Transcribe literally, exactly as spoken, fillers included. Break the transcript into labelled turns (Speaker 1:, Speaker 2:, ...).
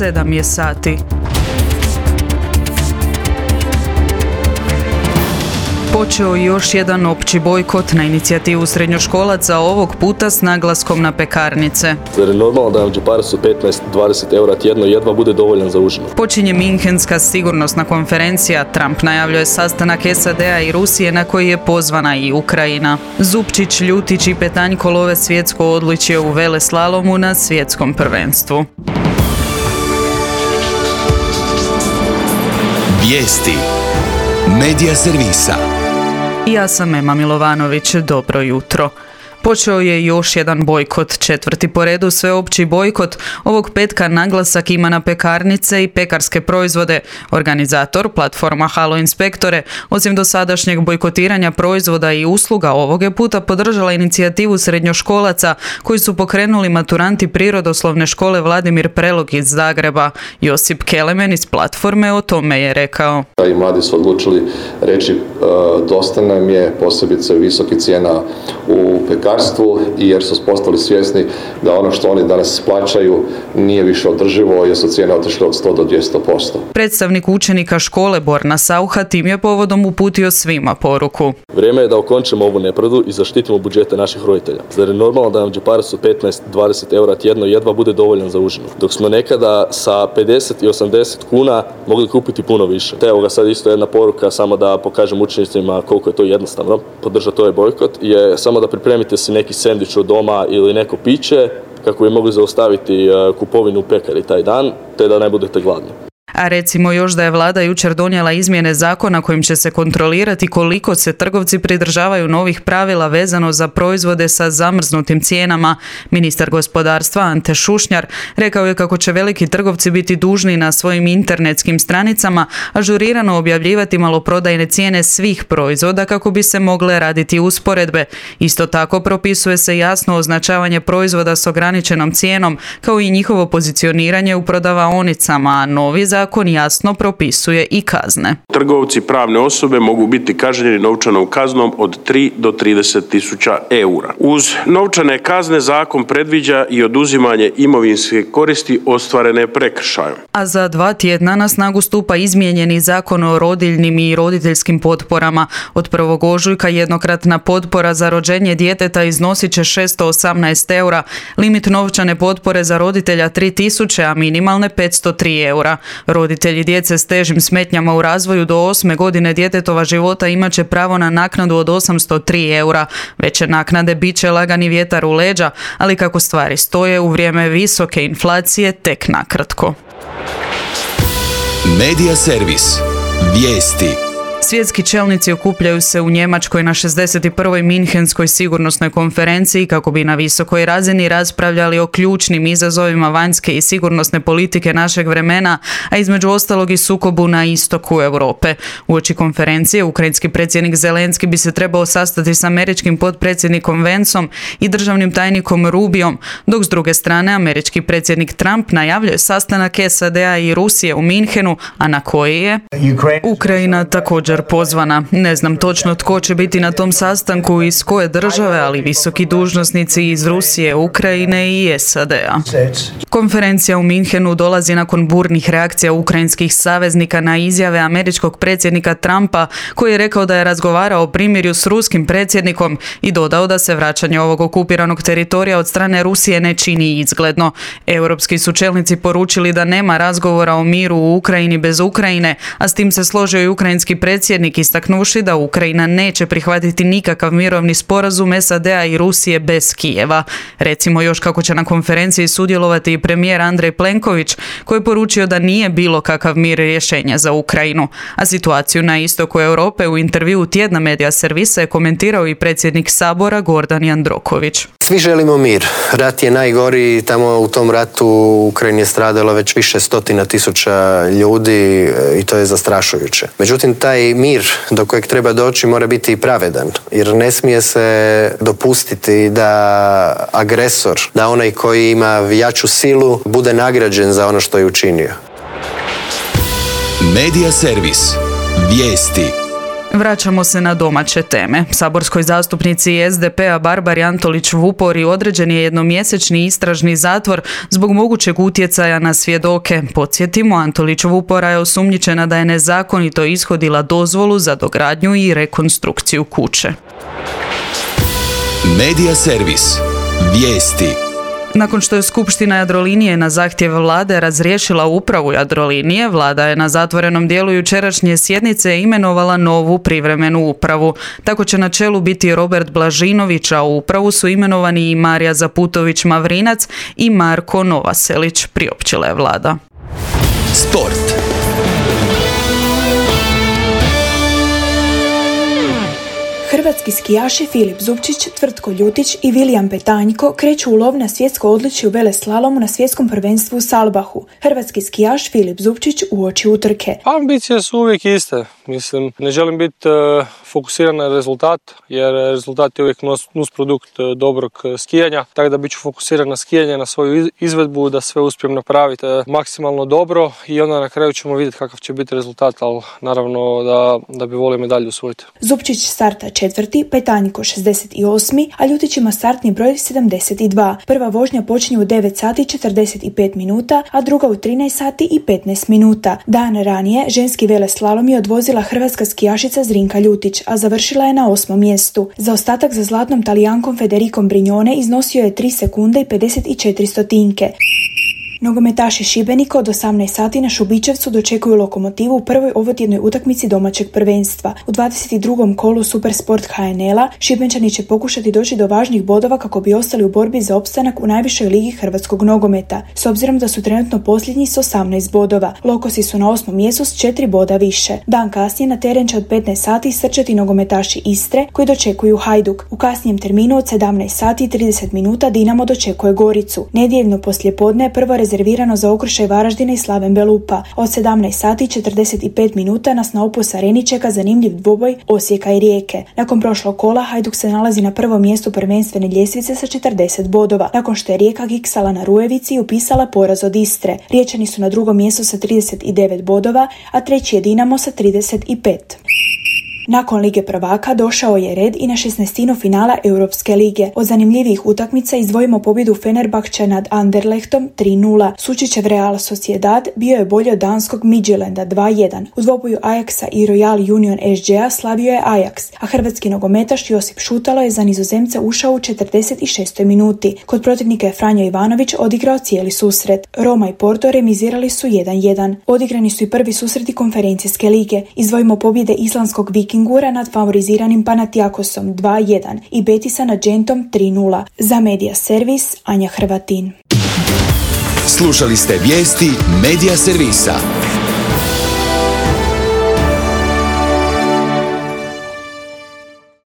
Speaker 1: sedam je sati. Počeo je još jedan opći bojkot na inicijativu srednjoškolaca, ovog puta s naglaskom na pekarnice.
Speaker 2: Zar je normalno da nam džeparac od petnaest do dvadeset eura tjedno jedva bude dovoljan za užinu?
Speaker 1: Počinje Minhenska sigurnosna konferencija. Trump najavljuje sastanak S A D-a i Rusije na koji je pozvana i Ukrajina. Zupčić, Ljutić i Petanjko love svjetsko odličje u veleslalomu na svjetskom prvenstvu.
Speaker 3: Vijesti Medija servisa.
Speaker 1: Ja sam Ema Milovanović, dobro jutro. Počeo je još jedan bojkot, četvrti po redu sveopći bojkot. Ovog petka naglasak ima na pekarnice i pekarske proizvode. Organizator, platforma Halo Inspektore, osim dosadašnjeg bojkotiranja proizvoda i usluga, ovog je puta podržala inicijativu srednjoškolaca koji su pokrenuli maturanti Prirodoslovne škole Vladimir Prelog iz Zagreba. Josip Kelemen iz platforme o tome je rekao.
Speaker 4: I mladi su odlučili reći dosta nam je posebice visoki cijena u pekarstvu, jer su postali svjesni da ono što oni danas plaćaju nije više održivo jer su cijene otišle od sto do dvjesto posto.
Speaker 1: Predstavnik učenika škole Borna Sauha tim je povodom uputio svima poruku.
Speaker 2: Vrijeme je da okončamo ovu nepravdu i zaštitimo budžete naših roditelja. Zar je normalno da nam džeparac od petnaest do dvadeset eura tjedno jedva bude dovoljan za užinu? Dok smo nekada sa pedeset i osamdeset kuna mogli kupiti puno više. Te evo ga sad isto jedna poruka, samo da pokažem učenicima koliko je to jednostavno podržati ovaj bojkot, je samo da pripremite si neki sendvič od doma ili neko piće kako bi mogli zaustaviti kupovinu u pekari taj dan, te da ne budete gladni.
Speaker 1: A recimo još da je vlada jučer donijela izmjene zakona kojim će se kontrolirati koliko se trgovci pridržavaju novih pravila vezano za proizvode sa zamrznutim cijenama. Ministar gospodarstva Ante Šušnjar rekao je kako će veliki trgovci biti dužni na svojim internetskim stranicama ažurirano objavljivati maloprodajne cijene svih proizvoda kako bi se mogle raditi usporedbe. Isto tako propisuje se jasno označavanje proizvoda s ograničenom cijenom kao i njihovo pozicioniranje u prodavaonicama, a novi zakon Zakon jasno propisuje i kazne.
Speaker 5: Trgovci pravne osobe mogu biti kažnjeni novčanom kaznom od tri do trideset tisuća eura. Uz novčane kazne zakon predviđa i oduzimanje imovinske koristi ostvarene prekršajem.
Speaker 1: A za dva tjedna na snagu stupa izmijenjeni zakon o rodiljnim i roditeljskim potporama. Od prvog ožujka jednokratna potpora za rođenje djeteta iznosit će šesto osamnaest eura, limit novčane potpore za roditelja tri tisuće, a minimalne petsto tri eura. Roditelji djece s težim smetnjama u razvoju do osme godine djetetova života imat će pravo na naknadu od osamsto tri eura. Veće naknade bit će lagani vjetar u leđa, ali kako stvari stoje u vrijeme visoke inflacije tek nakratko.
Speaker 3: Medija servis. Vijesti.
Speaker 1: Svjetski čelnici okupljaju se u Njemačkoj na šezdeset prvoj Minhenskoj sigurnosnoj konferenciji kako bi na visokoj razini raspravljali o ključnim izazovima vanjske i sigurnosne politike našeg vremena, a između ostalog i sukobu na istoku Europe. Uoči konferencije ukrajinski predsjednik Zelenski bi se trebao sastati s američkim potpredsjednikom Vencom i državnim tajnikom Rubiom, dok s druge strane američki predsjednik Trump najavljuje sastanak S A D-a i Rusije u Minhenu, a na koji je Ukrajina također pozvana. Ne znam točno tko će biti na tom sastanku i iz koje države, ali visoki dužnosnici iz Rusije, Ukrajine i S A D-a. Konferencija u Minhenu dolazi nakon burnih reakcija ukrajinskih saveznika na izjave američkog predsjednika Trumpa, koji je rekao da je razgovarao o primirju s ruskim predsjednikom i dodao da se vraćanje ovog okupiranog teritorija od strane Rusije ne čini izgledno. Europski su čelnici poručili da nema razgovora o miru u Ukrajini bez Ukrajine, a s tim se složio i ukrajinski predsjednik istaknuši da Ukrajina neće prihvatiti nikakav mirovni sporazum S A D-a i Rusije bez Kijeva. Recimo još kako će na konferenciji sudjelovati i premijer Andrej Plenković, koji je poručio da nije bilo kakav mir rješenja za Ukrajinu. A situaciju na istoku Europe u intervjuu tjedna Medija servisa je komentirao i predsjednik Sabora Gordan Jandroković.
Speaker 6: Svi želimo mir. Rat je najgori, tamo u tom ratu u Ukrajini je stradalo već više stotina tisuća ljudi i to je zastrašujuće. Međutim, taj mir do kojeg treba doći mora biti pravedan, jer ne smije se dopustiti da agresor, da onaj koji ima jaču silu, bude nagrađen za ono što je učinio.
Speaker 3: Medija servis. Vijesti.
Speaker 1: Vraćamo se na domaće teme. Saborskoj zastupnici es de pe a Barbari Antolić-Vupori određen je jednomjesečni istražni zatvor zbog mogućeg utjecaja na svjedoke. Podsjetimo, Antolić-Vupora je osumnjičena da je nezakonito ishodila dozvolu za dogradnju i rekonstrukciju kuće.
Speaker 3: Medija servis. Vijesti.
Speaker 1: Nakon što je Skupština Jadrolinije na zahtjev vlade razriješila upravu Jadrolinije, vlada je na zatvorenom dijelu jučerašnje sjednice imenovala novu privremenu upravu. Tako će na čelu biti Robert Blažinović, a u upravu su imenovani i Marija Zaputović-Mavrinac i Marko Novaselić, priopćila je vlada.
Speaker 3: Sport.
Speaker 7: Hrvatski skijaši Filip Zupčić, Tvrtko Ljutić i Vilijan Petanjko kreću u lov na svjetsko odličje u veleslalomu na svjetskom prvenstvu u Salbahu. Hrvatski skijaš Filip Zupčić uoči utrke.
Speaker 8: Ambicije su uvijek iste. Mislim, ne želim biti uh, fokusiran na rezultat, jer rezultat je uvijek nus, nus produkt uh, dobrog uh, skijanja. Tako da bit ću fokusiran na skijanje, na svoju izvedbu, da sve uspijem napraviti uh, maksimalno dobro i onda na kraju ćemo vidjeti kakav će biti rezultat, ali naravno da, da bi volio medalju usvojiti.
Speaker 7: Zupčić starta četvrti, Petanjko šezdeset osmi, a Ljutić ima startni broj sedamdeset dva. Prva vožnja počinje u devet sati četrdeset pet minuta, a druga u trinaest sati i petnaest minuta. Dan ranije ženski veleslalom je odvozila hrvatska skijašica Zrinka Ljutić, a završila je na osmom mjestu. Zaostatak za zlatnom Talijankom Federikom Brignone iznosio je tri sekunde i pedeset četiri stotinke. Nogometaši Šibenika od osamnaest sati na Šubićevcu dočekuju Lokomotivu u prvoj ovotjednoj utakmici domaćeg prvenstva. U dvadeset drugom kolu Supersport ha en el-a Šibenčani će pokušati doći do važnih bodova kako bi ostali u borbi za opstanak u najvišoj ligi hrvatskog nogometa, s obzirom da su trenutno posljednji s osamnaest bodova. Lokosi su na osmom mjestu s četiri boda više. Dan kasnije na teren će od petnaest sati srčati nogometaši Istre koji dočekuju Hajduk. U kasnijem terminu od sedamnaest sati i trideset minuta Dinamo dočekuje Goricu. Nedjeljno poslijepodne je prvo rezervirano za okršaj Varaždina i Slaven Belupa. Od sedamnaest sati i četrdeset pet minuta nas na Opus Areni čeka zanimljiv dvoboj Osijeka i Rijeke. Nakon prošlog kola Hajduk se nalazi na prvom mjestu prvenstvene ljestvice sa četrdeset bodova, nakon što je Rijeka giksala na Rujevici i upisala poraz od Istre. Riječani su na drugom mjestu sa trideset devet bodova, a treći je Dinamo sa trideset pet. Nakon Lige prvaka došao je red i na šesnaestinu finala Europske lige. Od zanimljivih utakmica izdvojimo pobjedu Fenerbahča nad Anderlechtom tri nula. Sučićev Real Sociedad bio je bolji od danskog Midtjylanda dva jedan. U dvoboju Ajaxa i Royal Union es đe a slavio je Ajax, a hrvatski nogometaš Josip Šutalo je za Nizozemce ušao u četrdeset šestoj minuti. Kod protivnika je Franjo Ivanović odigrao cijeli susret. Roma i Porto remizirali su jedan jedan. Odigrani su i prvi susreti konferencijske lige. Izdvojimo pobjede islandskog Vikingura nad favoriziranim Panathinaikosom dva jedan i Betisa nad Gentom tri nula. Za Medija servis Anja Hrvatin.
Speaker 3: Slušali ste vijesti Medija servisa.